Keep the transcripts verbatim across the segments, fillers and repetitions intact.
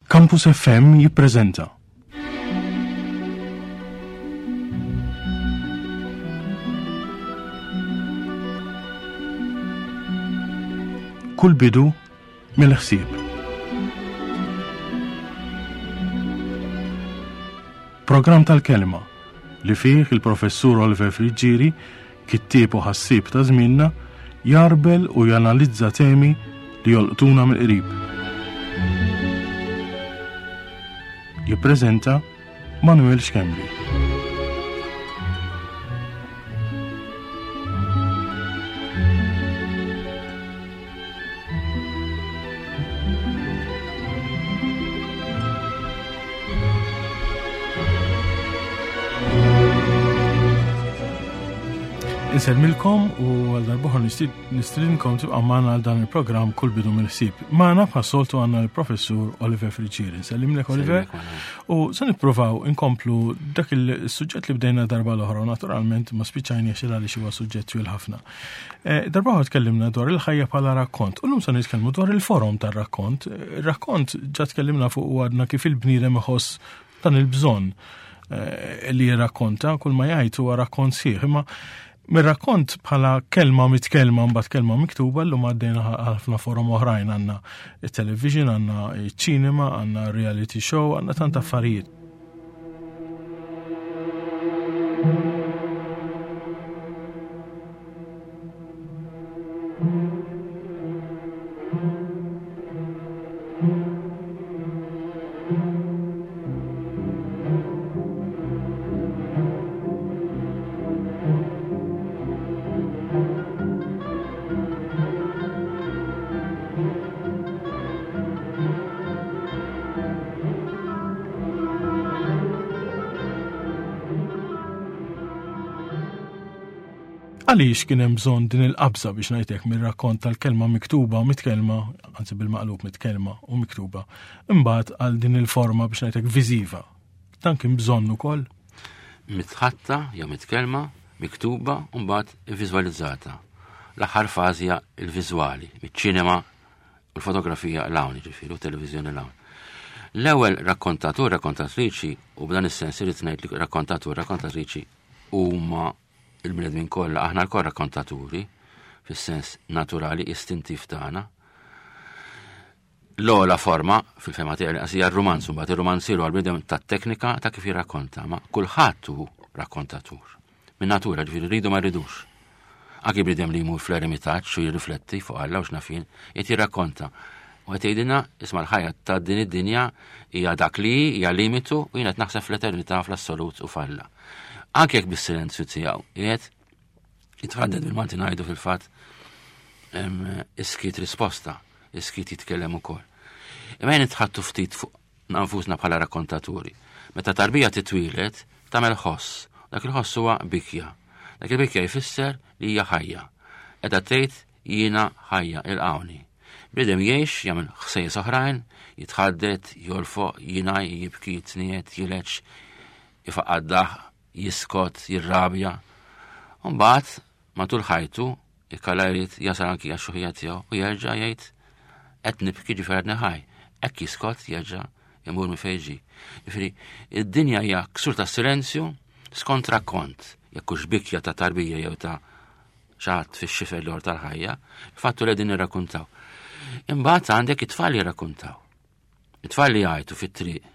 Campus F M jippreżenta Kull bidu mill-ħsieb. Programm tal-kelma li fih il-professur Oliver Friggieri, kittieb u ħassieb ta' żmienna, jarbel u janalizza temi li jolqtuna mill-qrib. Jippreżenta Manuel Schembri. Insellmilkom u għal darb'oħra nistidinkom tibqa' magħna għal dan il-programm Kull bidu mill-ħsieb. Magħna bħas-soltu għandna l-professur Oliver Friggieri. Nsellimlek Oliver. Nsellimlek, Manuel. U se nippruvaw inkomplu dak il-suġġett li bdejna darba l-oħra u naturalment ma spiċċajniex il għaliex huwa suġġett twil ħafna. Eh, darba oħra tkellimna dwar il-ħajja bħala rakkont. U llum se nitkellmu dwar il-forom tar-rakkont. Ir-rakkont ġa tkellimna fuq u għadna kif il-bniedem iħoss dan il-bżonn, eh, li jirrakkonta, kull ma jgħid huwa rakkont sħiħ, imma mir-rakkont bħala kelma mitkellma mbagħad kelma miktuba llum għaddejna ħafna forom oħrajn, għandna it-television, għandna iċ-ċinema, għandna reality show, għandna tant affarijiet. Għaliex kien hemm bżonn din il-qabża biex ngħidlek mir-rakkont tal-kelma miktuba u mitkellma, anzi bil-maqlub mitkellma u miktuba, imbagħad għal din il-forma biex ngħidlek viżiva. Dan kien bżonn ukoll? Mitħatta jew mitkellma, miktuba u mbagħad viżwalizzata. L-aħħar fażi hija l-viżwali, miċ-ċinema u l-fotografija l-hawn, jiġifieri, u t-televiżjoni l-hawn. L-ewwel rakkontatur, rakkontatriċi, u b'dan is-sens irid ngħid li rakkontatur, rakkontatriċi huma il-bnedmin kollha, aħna lkoll rakkontaturi fis-sens naturali istintiv tagħna. L-ogħla forma fil-fema tiegħi li hija r-rumanz, mbagħad ir-rumanziru għal bniedem tat-teknika ta' kif jirrakkonta, ma kulħadd hu rakkontatur. Min natura, ġifieri rridu ma rridux. Anki bniedem li jmur fl-eremitaġġ u jirrifletti fuq Alla u x'nafin, qed jirrakkonta. U qed jgħidilna isma' l-ħajja ta' din id-dinja hija dak li hi, hija limitu u jien qed naħseb fl-eternità fl-assolut u f'Alla. Anke jekk bis-silenzju tiegħu qiegħed jitħadded bil-Malti ngħidu fil-fatt, em, iskit risposta, iskit jitkellem ukoll. Imma jien nitħattu ftit fuq nfusna bħala rakkontaturi. Meta tarbija titwieled tagħmel ħoss, dak il-ħoss huwa bikja. Dak il-bikja jfisser li hija ħajja. Qiegħda tgħid jiena ħajja ilqawni. Bniedem jgħix, jagħmel ħsejjes oħrajn, jitħaddet, jolfoq, jingħaj, jibki, jitniet, jileġ, ifaqaddah, jiskot, jirrabja. U mbagħad matul ħajtu ikkalla jrid jasal anki għax-xuħija tiegħu u jerġa' jgħid qed nibki ġifier għadni ħaj. Hekk jiskot jerġa' imur minn fejn ġie. Ġifieri id-dinja hija ksur ta' silenzju skont rakkont, jekk hux bikja ta' tarbija jew ta' xi ħadd fix-xifer l-ieħor tal-ħajja, il-fattu li qegħdin nirrakkuntaw. Imbagħad għandek it-tfal jirrakkuntaw. It-tfal li jgħajtu fit-triq.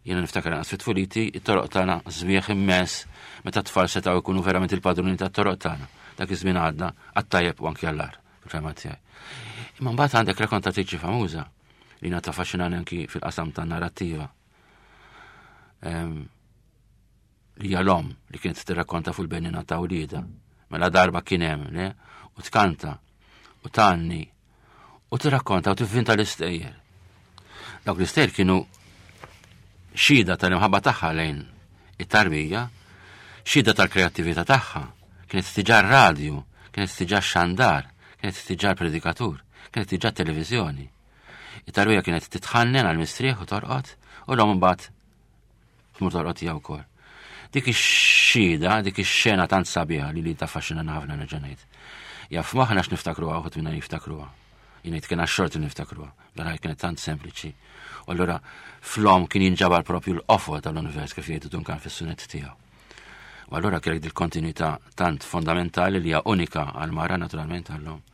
Jiena niftakar anqas fit-tfuliti, it-toroq tagħna sbieħ immens meta t-tfal setgħu jkunu verament il-padruni tat-toroq tagħna. Dak iż-żmien għadda għat-tajjeb u anki għall-agħar, fil-fehma tiegħi. Imma mbagħad għandek rakkontatriċi famuża li ngħata affaxxinani anki fil-qasam tan-narrattiva. Ehm, li hija l-omm li kienet tirrakkonta fuq il-benina ta' wliedha. Mela darba kien hemm, le? U tkanta, u tgħanni, u tirrakkonta u tivvinta l-istejjer. Dawk l-istejjer kienu xhieda tal-imħabba tagħha lejn it-tarbija, xhieda tal-kreattività tagħha. Kienet tiġa r-radju, kienet tiġa x-xandar, kienet tiġa l-predikatur, kienet tiġa t-televiżjoni. It-tarbija kienet titħannen għal-mistrieħ u torqod, u l-omm imbagħad tmur torqod hija wkoll. Dik ix-xhieda, dik ix-xena tant sabiħa li li taffaxxinana ħafna nerġa' ngħid. Jaf maħna x'niftakruha, uħud minna jiftakruha. Jien ngħid kien għax-xorti niftakruha, dan kienet tant sempliċi. U allura fl-omm kien jinġabar propju l-qofol tal-univers kif jgħidu Duncan fis-sunet tiegħu. U allura kellek dil-kontinuità tant fondamentali li hija unika għal-mara, naturalment għall-omm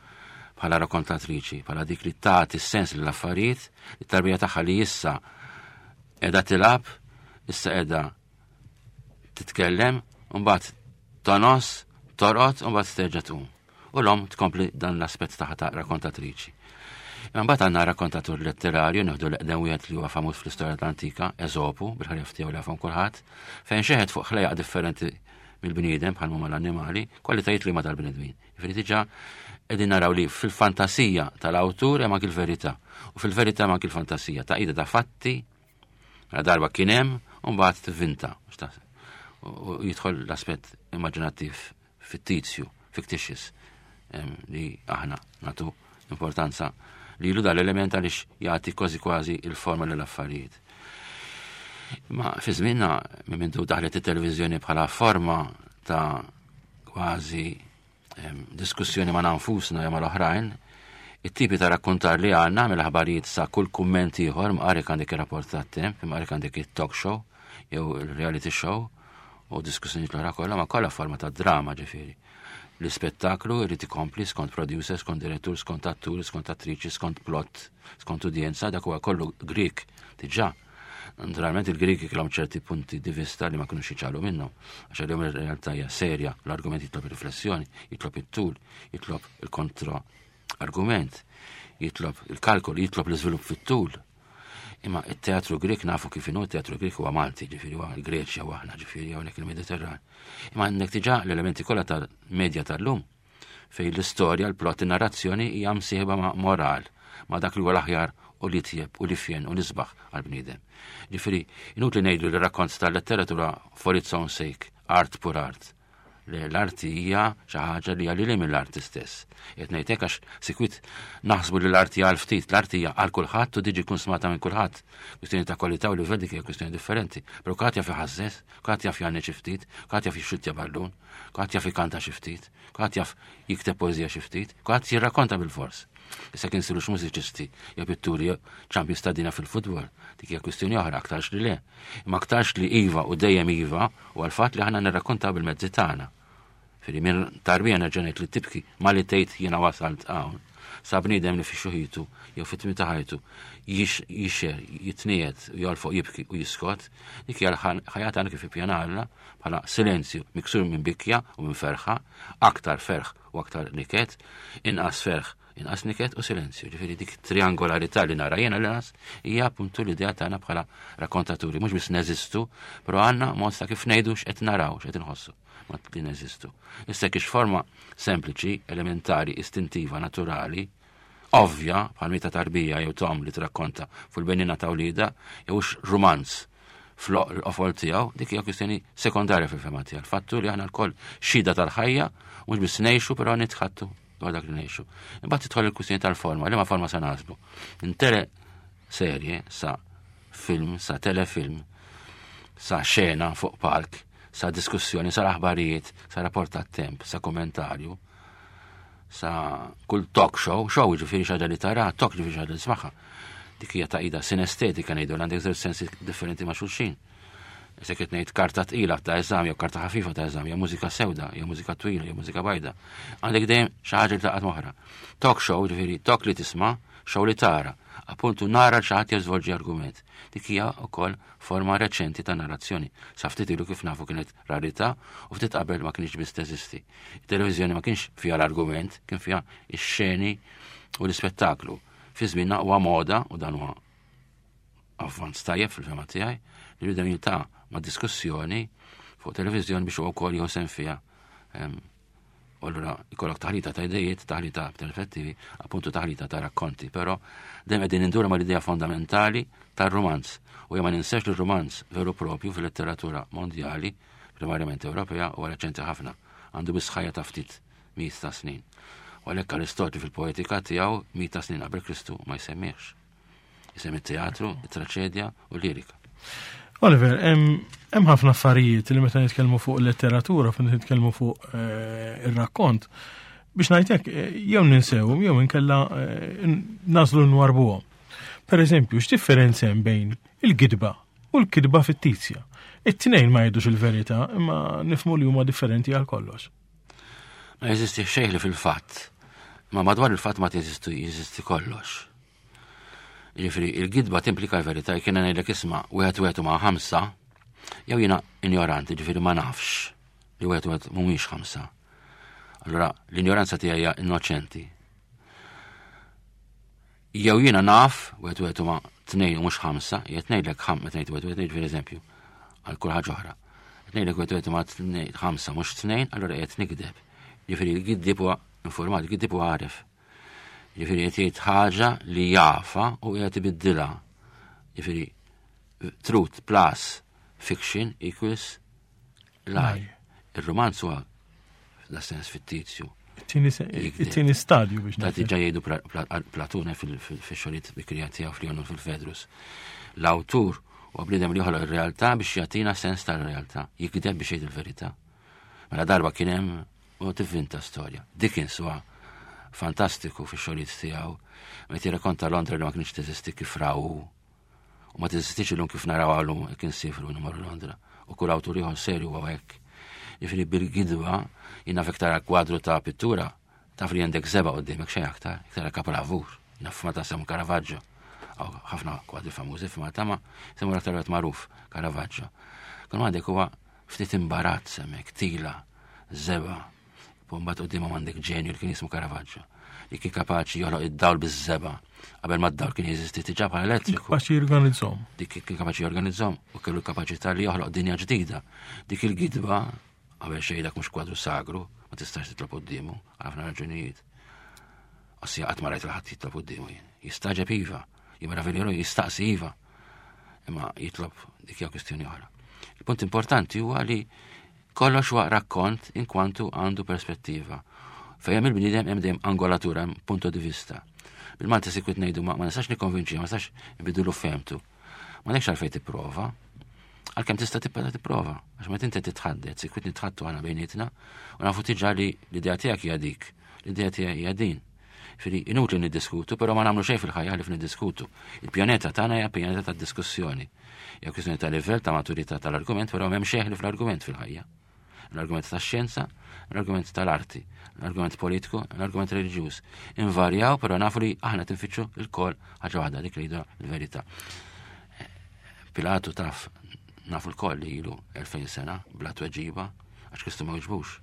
bħala rakkontatriċi, bħala dik li tagħti s-sens lill-affarijiet, it-tarbija tagħha li issa qiegħda tilgħab, issa qiegħda titkellem, u mbagħad tonos, torqod, u mbagħad terġa' tqum. U l-omm tkompli dan l-aspett tagħha ta' rakkontatriċi. Imma mbagħad għandna rakkontatur letterarju, nieħdu l-eqdem wieħed li huwa famuż fl-istorja tal-antika, Eżopu, bil-ħarjaf tiegħu li jafhom kulħadd, fejn xeħet fuq ħlejjaq differenti mill-bniedem bħal huma l-annimali, kwalitajiet li ma tal-bnedmin. Jiġifieri diġà qegħdin naraw li fil-fantasija tal-awtur hemm anki l-verità u fil-verità hemm anki l-fantasija ta' ida ta' fatti, mela darba kien hemm u mbagħad tivvinta. U jidħol l-aspett immaġinattiv fittizju, fictitious, li aħna nagħtu importanza li ilu dal-element għaliex jagħti kważi kważi il-forma lill-affarijiet. Ma fi żmienna minn mindu daħlet it-televiżjoni bħala forma ta' kważi diskussjoni ma' nfusna jew mal-oħrajn, it-tipi ta' rakkontar li għandna mill-aħbarijiet sa' kull kumment ieħor, mqarek għandek ir-rapport tat-temp, mqarek għandek it-talk show jew il-reality show u diskussjoni l-oħra kollha, ma kollha forma ta' drama ġifieri. L-ispettaklu irid ikompli skont producer, skont direttur, skont attur, skont attriċi, skont plot, skont udjenza, dak huwa kollu Grik diġà. Naturalment il-Griki kellhom ċerti punti di vista li ma kinux jiċċaqalqu minnhom. Għax għalihom ir-realtà hija serja, l-argument jitlob riflessjoni, jitlob it-tul, jitlob il-kontra argument, jitlob il-kalkol, jitlob l-iżvilupp fit-tul. Imma it-teatru Grek nafu kif inhu, it-teatru Grek huwa Malti, ġifieri huwa l-Greċja u aħna, ġifieri hawnhekk il-Mediterran. Imma għandek diġà l-elementi kollha tal-medja tal-lum fejn l-istorja, l-plot, in-narrazzjoni hija msieħba ma' moral, ma' dak li huwa l-aħjar u li tjeb u li fjen u nisbaħ għal-bniedem. Ġifieri, inutli ngħidu li rakkont tal-letteratura for its own sake, art pur art. L-arti hija xi ħaġa li hija mill-arti stess. Qed ngħidlek għax sikwit naħsbu li l-arti għal ftit, l-arti hija għal kulħadd u diġi konsmata minn kulħadd. Kwistjoni ta' kwalità u livell, dik hija kwistjoni differenti. Però kulħadd jaf iħażżeż, kulħadd jaf jgħanni xi ftit, kulħadd jaf jixxuttja ballun, kulħadd jaf ikanta xi ftit, kulħadd jaf jikteb poeżija xi ftit, kulħadd jirrakkonta bil-fors. Issa kien sirux mużiċisti jew pitturi jew champions ta' dinja fil-futbol, dik hija kwistjoni oħra, aktarx li le. Imma aktarx li iva u dejjem iva u għal-fatt li aħna nirrakkontaw bil-mezzi tagħna. Firri minn tarbija nerġa' ngħid li tibki ma li tgħid jiena wasalt hawn. Sa bniedem li fi xuħitu jew fit-tmiem ta' ħajtu jixxer, jitniet, jolfoq jibki u jiskot, dik hija l-ħajja tagħna kif ippjanalna bħala silenzju miksur minn bikja u minn ferħa, aktar ferħ u aktar niket, inqas ferħ, inqas niket u silenzju. Ġifieri dik triangolarità li nara jiena l-inqas hija appuntu l-idea tagħna bħala rakkontaturi, mhux biss neżistu, però għandna mod ta' kif ngħidu x'qed naraw, x'qed inħossu ma li neżistu. Issa kiex forma sempliċi, elementari, istintiva, naturali, ovvja, bħal mita tarbija jew tom li trakkonta fuq il-benina ta' wlida, jew rumanz fl-qofol tiegħu, dik hija kwistjoni sekondarja fil-fema tiegħu. Il-fattu li aħna lkoll xhieda tal-ħajja, mhux biss ngħixu però nitħattu dwar dak li ngħixu. Imbagħad tidħol il-kwistjoni tal-forma, li ma forma sa naslu. Intere serje sa film, sa telefilm, sa xena fuq palk, sa diskussjoni, sa aħbarijiet, sa rapport tat-temp, sa kommentarju, sa kull talk show, show ġifieri xi ħaġa li tara, talk ġifieri xi ħaġa li tismagħha. Dik hija taqida sinestetika ngħidu, għandek żewġ sensi differenti ma' xulxin. Se qed ngħid karta tqila ta' eżami jew karta ħafifa ta' eżami, jew mużika sewda, jew mużika twila, jew mużika bajda. Għandek dejjem xi ħaġa li taqgħod moħra. Talk show, ġifieri talk li tisma', show li tara. Appuntu nara xi ħadd jiżvolġi argument. Dik hija wkoll forma reċenti ta' narrazzjoni. Sa ftit ilu kif nafu kienet rarità u ftit qabel ma kienx biss teżisti. Il-televiżjoni ma kienx fiha l-argument, kien fiha ix-xeni u l-ispettaklu. Fi żmienna huwa moda u dan huwa avvanz tajjeb fil-fema tiegħi li bidem jiltaqa' ma' diskussjoni fuq televiżjoni biex huwa wkoll jieħu sehem fiha. U allura ikollok taħlita ta' idejiet, taħlita perspettivi, appuntu taħlita ta' rakkonti, però dejjem qegħdin indura mal-idea fondamentali tar-rumanz. U ma ninsex li r-rumanz veru propju fil-letteratura mondjali, primarjament Ewropea, huwa reċenti ħafna, għandu biss ħajja ta' ftit mijiet ta' snin. U għalhekk Aristotli fil-poetika tiegħu mijiet ta' snin qabel Kristu ma jsemmihx. Isemmi it-teatru, it-traċedja u l-lirika. Oliver, hemm ħafna affarijiet li meta nitkellmu fuq letteratura, meta nitkellmu fuq eh, ir-rakkont, Biex ngħidlek, jew ninsewhom jew inkella nagħżlu nwarrbuhom. Per eżempju, x'differenza hemm bejn il-gidba u l-kidba fittizja? It-tnejn ma jgħidux il-verità, imma nifhmu li huma differenti għal kollox. Ma jeżisti xejn li fil-fatt. Ma madwar il-fatt ma teżisti jeżisti kollox. Jiġifieri il-gidba timplika l-verità, jekk jiena ngħidlek isma' wieħed wieħed ma' ħamsa, jew jiena ignoranti, ġifieri ma nafx li wieħed wieħed mhumiex ħamsa. Allura l-ignoranza tiegħi hija innoċenti. Jew jiena naf wieħed wieħed ma' tnejn u mhux ħamsa, jgħid ngħidlek ħam meta ngħid wieħed wieħed per eżempju għal kull ħaġa oħra. Ngħidlek wieħed wieħed ma' tnejn ħamsa mhux tnejn, allura qed nikdeb. Ġifieri l-giddib huwa informat, il-giddib huwa għaref. Ġifieri qed jgħid ħaġa li jafa u qed ibiddilha. Ġifieri truth plus fiction equals lie. Ir-romanz huwa da sens fittizju. It-tieni stadju biex Ta' diġà jgħidu Platone fil-xogħlijiet bikrija tiegħu fl fil-Fedrus. L-awtur u bniedem li joħloq ir-realtà biex jagħtina sens tal-realtà, jikdeb biex jgħid il-verità. Mela darba kien hemm u tivvinta storja. Dickens huwa fantastiku fix-xogħlijiet tiegħu, meta jirrakkonta Londra li ma kienx teżisti kif raw u ma teżistix illum kif naraw għallum kien sifru nimorru Londra. U kull awtur ieħor serju huwa hekk. Jiġifieri bil-gidba jiena fek tara kwadru ta' pittura, taf li għandek żebgħa qudiemek xejn aktar, iktar kapolavur. Jiena f'Malta semmu Caravaggio. Ħafna kwadri famużi f'Malta ma semmu l-aktar wieħed magħruf Caravaggio. Kull għandek huwa ftit imbarazz hemmhekk, tila, żebgħa. Mbagħad qudiem għandek ġenju li kien jismu Caravaggio, li kien kapaċi joħloq id-dawl biż-żebgħa qabel ma d-dawl kien jeżisti diġà bħala elettriku. Kapaċi jorganizzhom. Dik kien kapaċi jorganizzhom u kellu kapaċità li joħloq dinja ġdida. Dik il-gidba qabel xejn dak mhux kwadru sagru, ma tistax titlob quddiemu għal ħafna raġunijiet. Ossia qatt ma rajt ħadd jitlob quddiemu jien. Jistaġeb iva, jimeravilju jistaqsi iva. Imma jitlob dik hija kwistjoni oħra. Il-punt importanti huwa li kollox huwa rakkont in kwantu għandu perspettiva. Fejn hemm il-bniedem hemm dejjem angolatura, hemm punto di vista. Bil-Malti sikwit ngħidu ma nistax nikkonvinċi, ma nistax nbidulu femtu. Ma nekx għalfejn tipprova, għalkemm tista' tibqa' tipprova, għax meta inti titħaddet, sikwit nitħattu għana bejnietna, u nafu diġà li l-idea tiegħek hija dik, l-idea tiegħek hija din. Ġifieri inutli niddiskutu, però ma nagħmlu xejn fil-ħajja li niddiskutu. Il-pjaneta tagħna hija pjaneta tad-diskussjoni. Hija kwistjoni ta' livell ta' maturità tal-argument, però m'hemm xejn fl-argument fil-ħajja. L-argument tax-xjenza, l-argument tal-arti, l-argument politiku, l-argument reliġjuż. Invarjaw, però nafu li aħna tinfittxu il-kol ħaġa waħda dik li jgħidu l-verità. Pilatu taf nafu l-koll li ilu elfejn sena bla tweġiba għax Kristu ma wiġbux.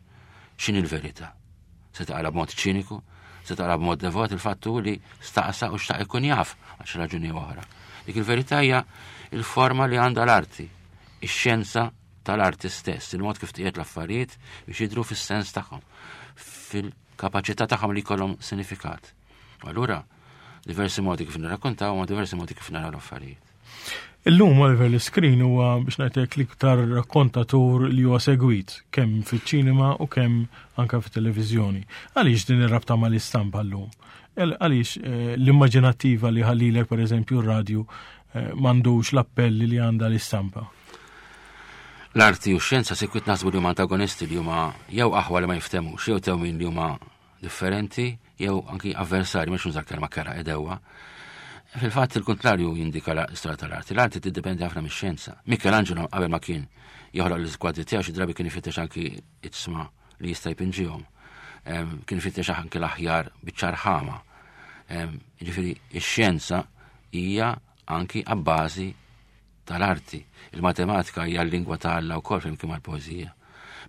X'inhi l-verità? Se taqra b'mod ċiniku, se taqra b'mod devot il-fattu li staqsa u xtaq ikun jaf għax raġuni oħra. Dik il-verità hija il-forma li għandha l-arti, ix-xjenza tal-arti stess, il-mod kif tiqiet l-affarijiet biex jidhru fis-sens tagħhom, fil-kapaċità tagħhom li jkollhom sinifikat. U allura diversi modi kif nirrakkontaw u diversi modi kif naraw l-affarijiet. Illum Oliver l-screen huwa biex ngħidlek l-iktar rakkontatur li huwa segwit kemm fiċ-ċinema u kemm anke fit-televiżjoni. Għaliex din ir-rabta mal-istampa llum? Għaliex l-immaġinattiva li ħallilek pereżempju r-radju m'għandux l-appelli li għandha l-istampa? L-arti u x-xjenza sikwit naħsbu li huma antagonisti li huma jew aħwa li ma jiftemux, jew tewmin li huma differenti, jew anki avversari, mhux nuża kelma kera edewa. Fil-fatt il-kontrarju jindika l-istorja tal-arti. L-arti tiddependi ħafna mix-xjenza. Michelangelo qabel ma kien joħloq l-iskwadri tiegħu xi drabi kien ifittex anki iġsma li jista' jpinġihom. Kien ifittex anki l-aħjar biċ ħama. Jiġifieri x-xjenza hija anki abbażi tal-arti. Il-matematika hija l-lingwa ta' Alla wkoll flimkien mal-poeżija.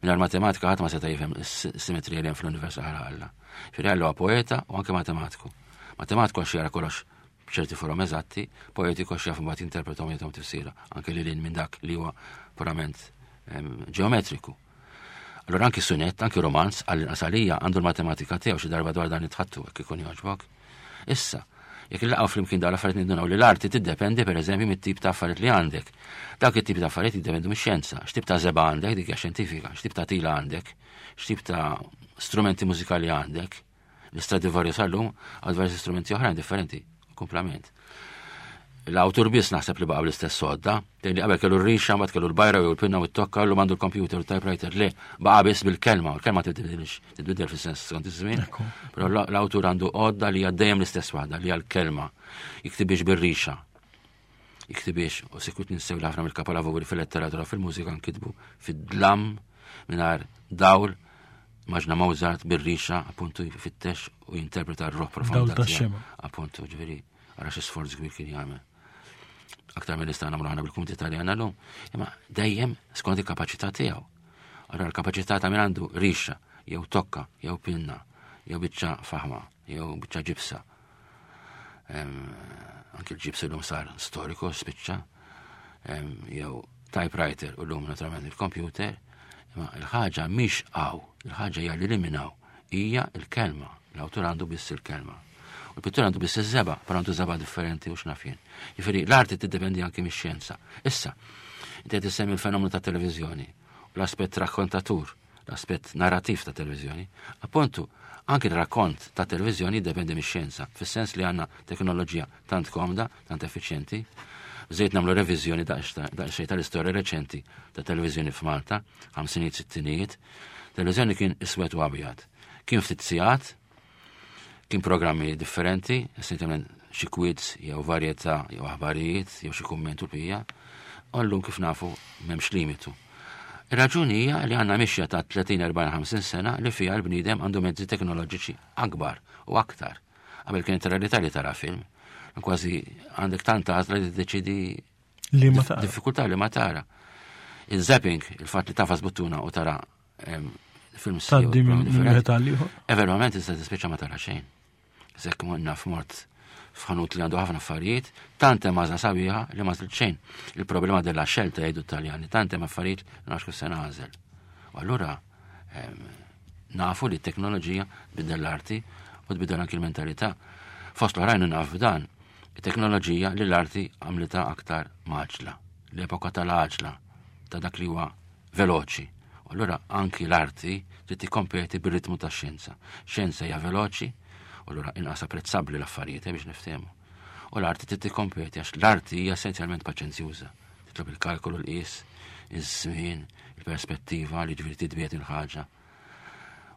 Mingħajr matematika ħadd ma seta' jifhem is-simetrija li hemm fl-univers għal Alla. Ġifieri Alla huwa poeta u anke matematiku. Matematiku għax jara kollox b'ċerti forom eżatti, poetiku għax jaf imbagħad jinterpretom jagħtihom tifsira, anke lil minn dak li huwa purament ġeometriku. Allora anki sunett, anki romanz, għall-inqas għalija għandu l-matematika tiegħu xi darba dwar dan nitħattu hekk ikun jogħġbok. Issa, jekk illaqgħu flimkien dawn l-affarijiet nindunaw li l-arti tiddependi pereżempju mit-tip ta' affarijiet li għandek. Dawk it-tip ta' affarijiet jiddependu mix-xjenza. X'tip ta' żebgħa għandek, dik hija xjentifika, x'tip ta' tila għandek, x'tip ta' strumenti mużikali għandek. L-Stradivarius sal-lum għal diversi strumenti oħrajn differenti, komplement. L-awtur biss naħseb li baqa' bl-istess sodda, li qabel kellu r-rixa, mbagħad kellu l-bajra jew il-pinna u t-tokka, llum għandu l-computer u typewriter, le, baqa' biss bil-kelma, u l-kelma tibdilx, tibdil fis-sens skont iż-żmien. Però l-awtur għandu għodda li hija dejjem l-istess waħda, li hija l-kelma. Jiktibix bir-rixa. Jiktibix, u sikwit ninsew li ħafna mill-kapolavori fil-letteratura, fil-mużika nkitbu fid-dlam, mingħajr dawl. Maġna Mozart bir-rixa, appuntu, jfittex u jinterpreta r-roħ profonda. Dawl tax-xemgħa. Appuntu, ġifieri, ara xi sforz kbir kien jagħmel. Aktar minn nistgħu nagħmlu aħna bil-kumdità li għandna llum. Imma dejjem skont il-kapaċità tiegħu. Allora l-kapaċità ta' min għandu rixa, jew tokka, jew pinna, jew biċċa faħma, jew biċċa ġibsa. Anki l-ġibs illum sar storiku, spiċċa, jew typewriter u llum naturalment il-computer, imma il-ħaġa mhix hawn, il-ħaġa hija li liminaw, hija l-kelma, l-awtur għandu biss il-kelma. U l-pittur għandu biss iż-żebgħa, però għandu żebgħa differenti u x'naf jien. Jiġifieri l-arti tiddependi anki mix-xjenza. Issa, inti qed issemmi l-fenomenu ta' televiżjoni u l-aspett rakkontatur, l-aspett narrativ ta' televiżjoni. Appuntu, anki l-rakkont ta' televiżjoni jiddependi mix-xjenza, fis-sens li għandna teknoloġija tant komda, tant effiċjenti. Bżejt nagħmlu reviżjoni daqsxejn tal-istorja reċenti ta' televiżjoni f'Malta, ħamsinijiet, sittinijiet. Televiżjoni kien iswed u abjad. Kien ftit sigħat, kien programmi differenti, essenzjalment xi quiz jew varjetà jew aħbarijiet jew xi kumment u l-bqija. U llum kif nafu m'hemmx limitu. Ir-raġuni hija li għandna mixja ta' tletin, erbgħin, ħamsin sena li fiha l-bniedem għandu mezzi teknoloġiċi akbar u aktar. Qabel kienet rarità li tara film. Kważi għandek tant għażla li tiddeċidi li ma tara. Diffikultà li ma tara. Il-zapping, il-fatt li tafas buttuna u tara, em, film Tgħaddi jew minn differenti. wieħed għal ieħor. Eventualment tista' tispiċċa ma tara xejn. Sekk naf mort f'ħanut li għandu ħafna affarijiet, tant hemm għażla sabiħa li ma żilt xejn. Il-problema della scelta jgħidu Taljani, tant hemm affarijiet li nafx kif se nagħżel. U allura, em, nafu li t-teknoloġija tbiddel l-arti u tbiddel anki l-mentalità. Fost l-oħrajn naf dan, it-teknoloġija li l-arti għamlitha aktar maġla, l-epoka tal-għaġla, ta' dak li huwa veloċi. U allura anki l-arti trid tikkompeti bir-ritmu tax-xjenza. Xjenza hija veloċi, u allura inqas apprezzabbli l-affarijiet, eh, biex niftehmu. U l-arti trid tikkompeti għax l-arti hija essenzjalment paċenzjuża. Titlob il-kalkolu, l-qies, iż-żmien, il-perspettiva li ġifieri titbiet il-ħaġa.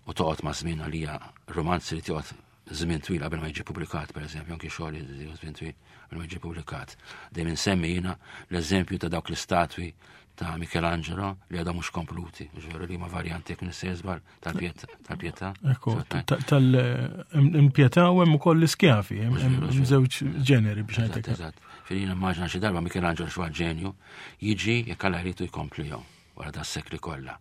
U toqgħod ma' żmien għalija romanzi li toqgħod żmien twil qabel ma jiġi pubblikat, per eżempju, anki xogħol li żmien twil qabel ma jiġi pubblikat. Dejjem insemmi jiena l-eżempju ta' dawk l-istatwi ta' Michelangelo li għadhom mhux kompluti, ġifieri li ma varjanti jekk nista' żball tal-Pietà, tal-Pietà. Ekku, tal-Pietà u hemm ukoll l-iskjafi, hemm hemm żewġ ġeneri biex ngħidlek. Eżatt. Fejn immaġina xi darba Michelangelo xi ġenju jiġi jekk Alla jridu jkomplihom wara da sekli kollha.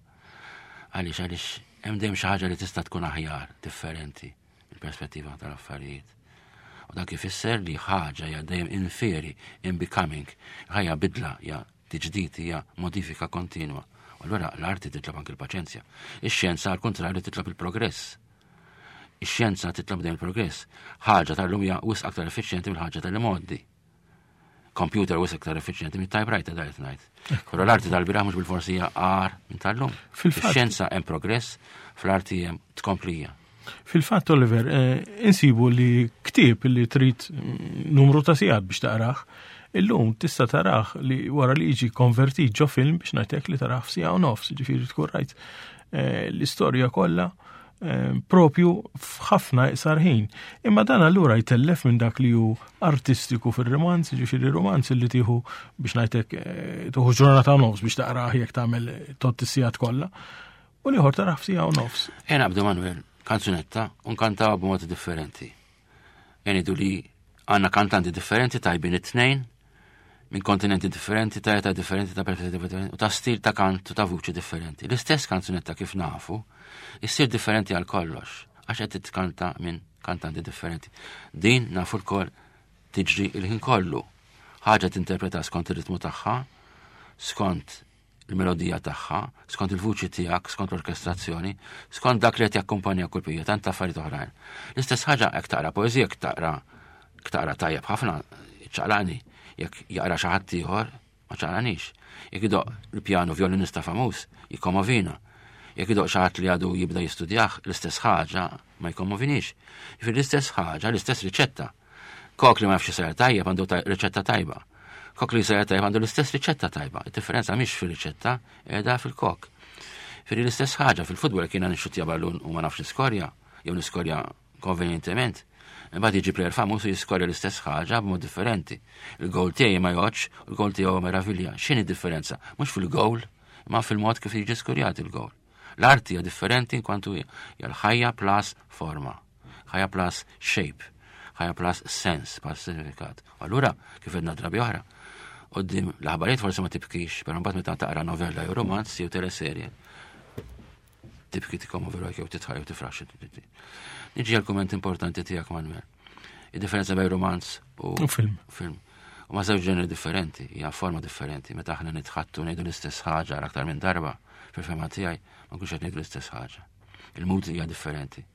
Għaliex, għaliex hemm dejjem xi ħaġa li tista' tkun aħjar, differenti mill-perspettiva tal-affarijiet. U dak ifisser li ħaġa hija dejjem in fieri, in becoming, ħajja bidla, hija tiġdid, hija modifika kontinwa. U allura l-arti titlob anki l-paċenzja. Ix-xjenza għal kontrarju titlob il-progress. Ix-xjenza titlob dejjem il-progress. Ħaġa tal-lum hija wisq aktar effiċjenti mill-ħaġa tal-imgħoddi. Computer wisq aktar effiċjenti mit-typewriter da qed ngħid. Però l-arti tal-bieraħ mhux bil-forsi hija agħar minn tal-lum. Fil-fatt- Fix-xjenza hemm progress, fl-arti hemm tkomplija. Fil-fatt, Oliver, eh, insibu li ktieb li trid mm, numru ta' sigħat biex taqrah, illum tista' tarah li wara li jiġi konvertit ġo film biex ngħidlek li tarah f'siegħa u nofs, ġifieri tkun rajt, eh, l-istorja kollha, eh, propju f'ħafna iqsar ħin. Imma dan allura jtellef minn dak li hu artistiku fir-romanz, ġifieri romanz li tieħu biex ngħidlek, eh, tieħu ġurnata u nofs biex taqrah jekk tagħmel tot is-sigħat kollha. U l-ieħor tarah f'siegħa u nofs. Ejja naqbdu Manuel, kanzunetta u nkantaw b'modi differenti. Jenidu li għandna kantanti differenti tajbin it-tnejn, minn kontinenti differenti, ta' età differenti, ta' perspettivi differenti, u ta' stil ta' kant u ta' vuċi differenti. L-istess kanzunetta kif nafu, issir differenti għal kollox, għax qed titkanta minn kantanti differenti. Din nafu l-koll tiġri il-ħin kollu. Ħaġa tinterpreta skont ir-ritmu tagħha, skont il-melodija tagħha, skont il-vuċi tiegħek, skont l-orkestrazzjoni, skont dak li qed jakkumpanja kull pija, tant affarijiet oħrajn. L-istess ħaġa jekk taqra poeżija, jekk taqra jekk taqra tajjeb ħafna, ċaqlani, jekk jaqra xi ħadd ieħor, ma ċaqlanix. Jekk idoq il-pjano violinista famuż, jikkommovina. Jekk idoq xi ħadd li għadu jibda jistudjah, l-istess ħaġa ma jkommovinix. Jiġifieri l-istess ħaġa, l-istess riċetta. Kok li ma jafx isajjar tajjeb għandu riċetta tajba. Kok li jsajjar tajjeb għandu l-istess riċetta tajba. Id-differenza mhix fir-riċetta, qiegħda fil-kok. Firri l-istess ħaġa fil-futbol kiena nixxuttja ballun u ma nafx niskorja, jew niskorja konvenjentement. Imbagħad jiġi plejer famuż u jiskorja l-istess ħaġa b'mod differenti. Il-goal tiegħi ma jgħodx, u il-goal tiegħu meravilja. X'inhi differenza? Mhux fil-goal, imma fil-mod kif jiġi skorjat il-goal. L-arti hija differenti inkwantu hija l-ħajja plus forma, ħajja plus shape, ħajja plus sens, plus sinifikat. Allura, kif għedna drabi oħra, quddiem l-aħbarijiet forsi ma tibkix, però mbagħad meta taqra novella jew romanz jew teleserje, tibki tikkommovi ruħek jew titħaj jew tifrax. Niġi għal-kumment importanti tiegħek, Manuel. Id-differenza bejn romanz u film. Film. U ma żewġ ġeneri differenti, hija forma differenti. Meta aħna nitħattu ngħidu l-istess ħaġa għal aktar minn darba, fil-fehma tiegħi ma nkunx qed ngħidu l-istess ħaġa. Il-mood hija differenti.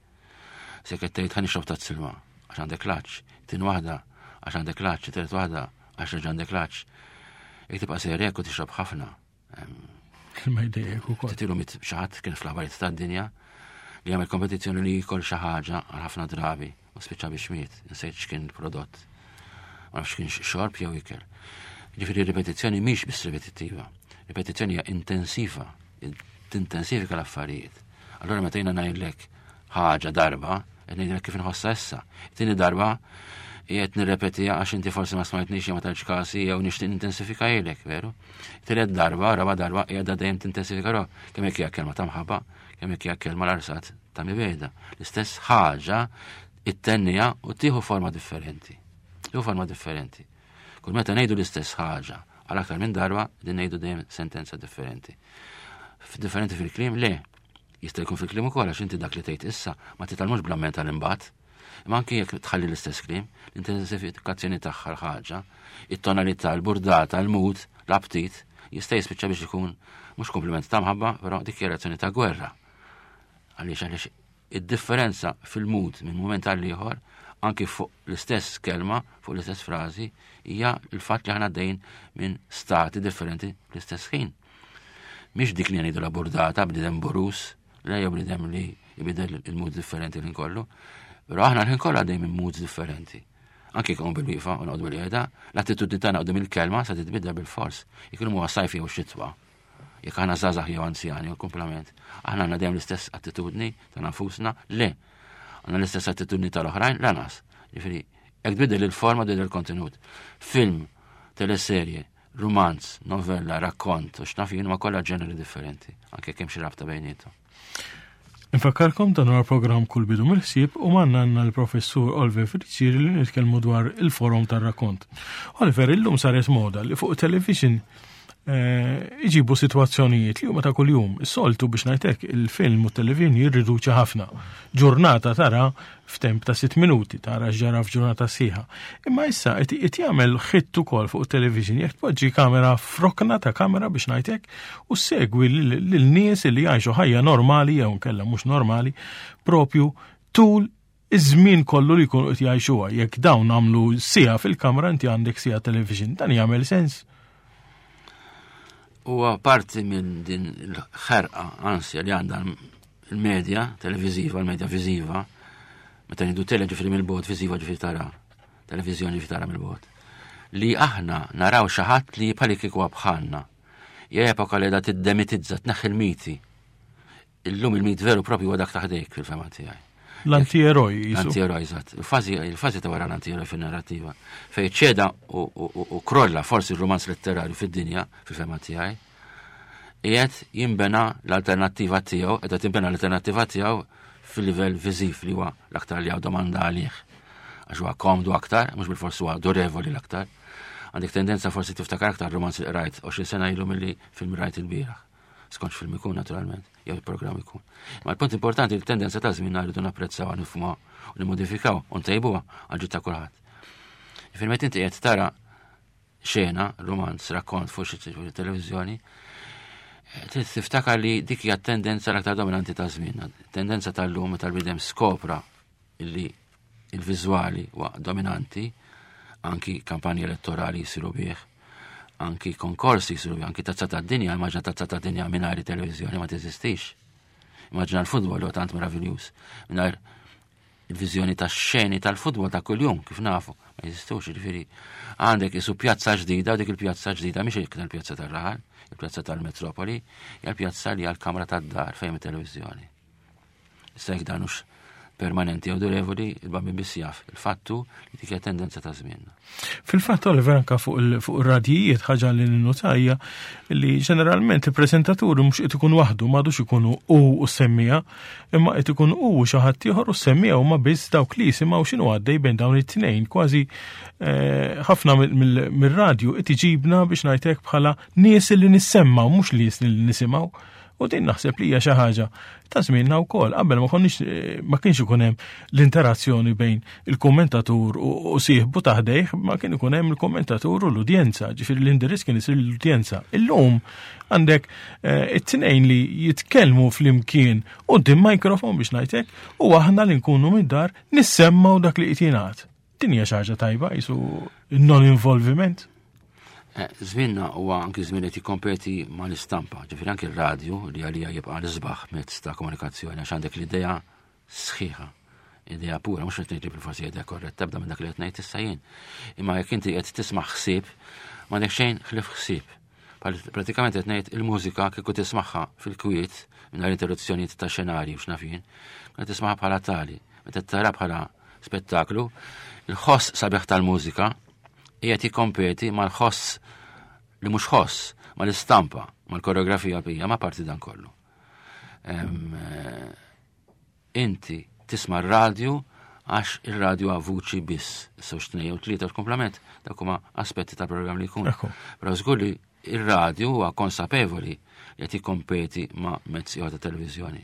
Se qed tgħid ħa nixrob tazza ilma għax għandek l-għatx, tieni waħda għax għandek l-għatx, tielet waħda għax reġa' għandek l-għatx. Jekk tibqa' sejrek u tixrob ħafna. Ma jdejjek ukoll. Titilu mit xi ħadd kien fl-aħbarijiet tad-dinja li jagħmel kompetizzjoni li jikol xi ħaġa għal ħafna drabi u spiċċa biex miet, insejt x'kien il-prodott. Ma nafx kien xorb jew ikel. Ġifieri ripetizzjoni mhix biss ripetittiva. Ripetizzjoni hija intensiva, tintensifika l-affarijiet. Allora meta jiena ngħidlek ħaġa darba, qed ngħidlek kif inħossha issa. Tieni darba qiegħed nirrepetiha għax inti forsi ma smajtnix jew ma tajtx kasi jew nixtieq nintensifika ilek, veru? Tielet darba, raba darba qiegħda dejjem tintensifika ruħ. Kemm hekk hija kelma ta' mħabba, kemm hekk hija kelma l-arsat ta' mibegħda. L-istess ħaġa it-tennija u tieħu forma differenti. Tieħu forma differenti. Kull meta ngħidu l-istess ħaġa għal aktar minn darba, din ngħidu dejjem sentenza differenti. Differenti fil-kliem, le. Jista' jkun fil-kliem ukoll għax inti dak li tgħid issa ma titgħallmux bl-amment tal-imbagħad. Imma anki jekk tħalli l-istess kliem, l-intensifikazzjoni tagħha l-ħaġa, it-tonalità, l-burdata, l-mood, l-aptit, jista' jispiċċa biex ikun mhux kompliment ta' mħabba, però dikjarazzjoni ta' gwerra. Għaliex għaliex id-differenza fil-mood minn mument għal ieħor, anki fuq l-istess kelma, fuq l-istess frażi, hija l-fatt li aħna għaddejn minn stati differenti fl-istess ħin. Mhix dik li ngħidu la burdata bniedem borus, le jew bniedem li jibidel il-mood differenti l kollu. Però aħna l-ħin kollha għaddejn minn moods differenti. Anki jkun bil-wieqfa u noqogħdu bil-qiegħda, l-attitudni tagħna quddiem il-kelma sa titbidel bil-fors. Jekk huwa sajf jew xitwa. Jekk aħna żgħażagħ jew anzjani u komplement. Aħna għandna dejjem l-istess attitudni ta' nfusna, le. Għandna l-istess attitudni tal-oħrajn, lanqas. Ġifieri, jekk tbiddel il-forma tbiddel il-kontenut. Film, teleserje, romanz, novella, rakkont, u x'naf jien ma kollha ġeneri differenti, anke kemm xi rabta bejniethom. Infakkarkom dan huwa programm Kull Bidu mill-Ħsieb u magħna għandna l-professur Oliver Friggieri li nitkellmu dwar il-forum tar-rakkont. Oliver, illum saret moda li fuq television eh, iġibu sitwazzjonijiet li huma ta' kuljum. Is-soltu biex ngħidlek il-film u television jirriduċi ħafna. Ġurnata tara f'temp ta' sitt minuti, tara x'ġara f'ġurnata sħiħa. Imma issa qed qed jagħmel ħitt ukoll fuq television jekk tpoġġi kamera f'rokna ta' kamera biex ngħidlek u segwi lil nies li jgħixu ħajja normali jew nkella mhux normali propju tul iż-żmien kollu li jkunu qed jgħixuha. Jekk dawn għamlu siegħa fil-kamra inti għandek siegħa television, dan jagħmel sens. Huwa parti minn din il-ħerqa ansja li għandha il-medja televiziva, il-medja viziva, meta ngħidu tele ġifieri mill-bogħod, viziva ġifieri tara, televiżjoni ġifieri tara mill-bogħod. Li aħna naraw xi ħadd li bħali kieku bħalna. Hija epoka li qiegħda tiddemitizza, tneħħi il-miti. Illum il-mit veru propju huwa dak taħdejk fil-fehma tiegħi. L-anti-eroj jisu. L-anti-eroj, eżatt. Il-fażi, il-fażi ta' wara l-anti-eroj fin-narrativa. Fej ċeda u, u, u, u krolla forsi il-romanz letterarju fid-dinja, fil-fehma tiegħi, qiegħed jinbena l-alternattiva tiegħu, qiegħda tinbena l-alternattiva tiegħu fil-livell viżiv li huwa l-aktar li hawn domanda għalih. Għax huwa komdu aktar, mhux bil-forsi huwa durevoli l-aktar. Għandek tendenza forsi tiftakar aktar romanz li qrajt għoxrin sena ilu milli film rajt il-bieraħ. Skont film ikun naturalment, jew il-programm ikun. Ma l-punt importanti il-tendenza ta' żmien rridu napprezzaw, nifhmuha u nimmodifikaw u ntejbuha għal ġid ta' kulħadd. Jiġifieri meta inti qed tara xena, romanz, rakkont fuq xi televiżjoni, trid tiftakar li dik hija tendenza l-aktar dominanti ta' żmien. Tendenza tal-lum meta l-bniedem skopra illi il-viżwali huwa dominanti, anki kampanji elettorali jisiru bih, anki konkorsi jisiru bih, anki tazza tad-dinja, immaġina tazza tad-dinja mingħajr televiżjoni ma teżistix. Immaġina l-futbol huwa tant meraviljuż, mingħajr Il-viżjoni tax-xeni tal-futbol ta' kuljum kif nafu, ma jeżistux, jiġifieri għandek isu pjazza ġdida u dik il-pjazza ġdida mhix iktar il-pjazza tar-raħal, il-pjazza tal-metropoli, hija l-pjazza li hija l-kamra tad-dar fejn it-televiżjoni. Issa jekk dan hux permanenti jew durevoli, il-Bambin biss jaf. Il-fattu li dik hija tendenza ta' żmienna. Fil-fatt, Oliver, anka fuq ir-radijiet ħaġa li ninnotajja li ġeneralment il-preżentaturi mhux qed ikun waħdu, m'għadux ikunu hu u s-semmiegħa, imma qed ikun hu u xi ħadd ieħor u s-semmiegħa huma biss dawk li jisimgħu x'inhu għaddej bejn dawn it-tnejn. Kważi ħafna mir-radju qed iġibna biex ngħidlek bħala nies li nissemmaw, mhux nies li nisimgħu. U din naħseb li hija xi ħaġa ta' żmienna wkoll. Qabel ma konniex, ma kienx ikun hemm l-interazzjoni bejn il-kommentatur u sieħbu ta' ħdejh, ma kien ikun hemm il-kommentatur u l-udjenza, ġifieri l-indirizz kien isir l-udjenza. Illum għandek it-tnejn li jitkellmu flimkien quddiem mikrofon biex ngħidlek, u aħna li nkunu mid-dar nissemmaw dak li qed jingħad. Din hija xi ħaġa tajba, jisu non-involviment. Żmienna huwa anki żmien qed jikkompeti mal-istampa, ġifieri anki r-radju li għalija jibqa' l-isbaħ mezz ta' komunikazzjoni għax għandek l-idea sħiħa, idea pura, mhux qed ngħid li bil-forsi idea korretta, tibda minn dak li qed ngħid issa jien. Imma jekk inti qed tisma' ħsieb, m'għandek xejn ħlief ħsieb. Pratikament qed ngħid il-mużika kieku tismagħha fil-kwiet mingħajr interruzzjonijiet ta' xenarji u x'naf jien, qed tismagħha bħala tali, meta tara bħala spettaklu, il-ħoss sabiħ tal-mużika qiegħed jikkompeti mal-ħoss li mhux ħoss, mal-istampa, mal-koreografija bija, ma parti dan kollu. Inti tisma' r-radju għax ir-radju għal vuċi biss, issa tnejn jew tlieta komplement, dak huma aspetti ta' programm li jkun. Però żgur li ir-radju huwa konsapevoli li qed jikkompeti ma' mezzi oħra ta' televiżjoni.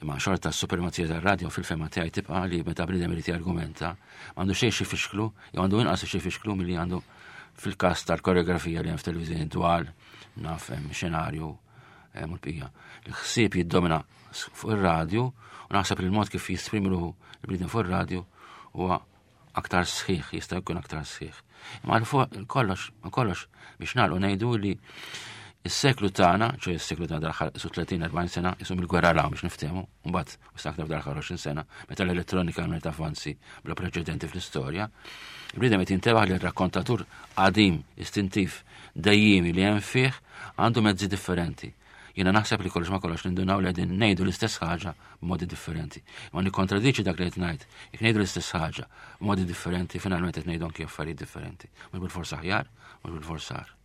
Imma xorta s-supremazija tar-radju fil-fema tiegħi tibqa' li meta bniedem irid jargumenta, m'għandu xejn xi fixklu, jew għandu inqas xi fixklu milli għandu fil-każ tal-koreografija li hemm f'televiżjoni dwar naf hemm xenarju hemm l-bqija. Il-ħsieb jiddomina fuq ir-radju u naħseb li l-mod kif jisprimi ruħu l-bniedem fuq ir-radju huwa aktar sħiħ, jista' jkun aktar sħiħ. Imma fuq kollox, kollox biex nagħlqu ngħidu li is-seklu tagħna, ċoj is-seklu tagħna dal-aħħar isu tletin erbgħin sena, isu mill-gwerra l biex niftehmu, mbagħad u aktar dal-aħħar għoxrin sena, meta l-elettronika għamlet avvanzi bla preċedenti fl-istorja, il-bniedem qed jintebaħ li r-rakkontatur qadim, istintiv, dejjimi li hemm fih għandu mezzi differenti. Jiena naħseb li kollox ma kollox nindunaw li qegħdin ngħidu l-istess ħaġa b'modi differenti. Ma nikkontradiċi dak li qed ngħid. Jekk ngħidu l-istess ħaġa b'modi differenti, finalment qed ngħidu anki affarijiet differenti. Mhux bil-forsa aħjar, mhux bil-forsa agħar.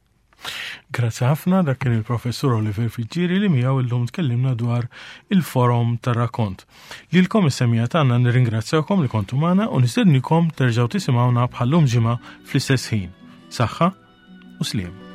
Grazzi ħafna, dak kien il-professur Oliver Friggieri li miegħu illum tkellimna dwar il-forom tar-rakkont. Lilkom is-semmiegħa tagħna nirringrazzjawkom li kontu magħna u nistednikom terġgħu tisimgħuna bħallum ġimgħa fl-istess ħin. Saħħa u sliem.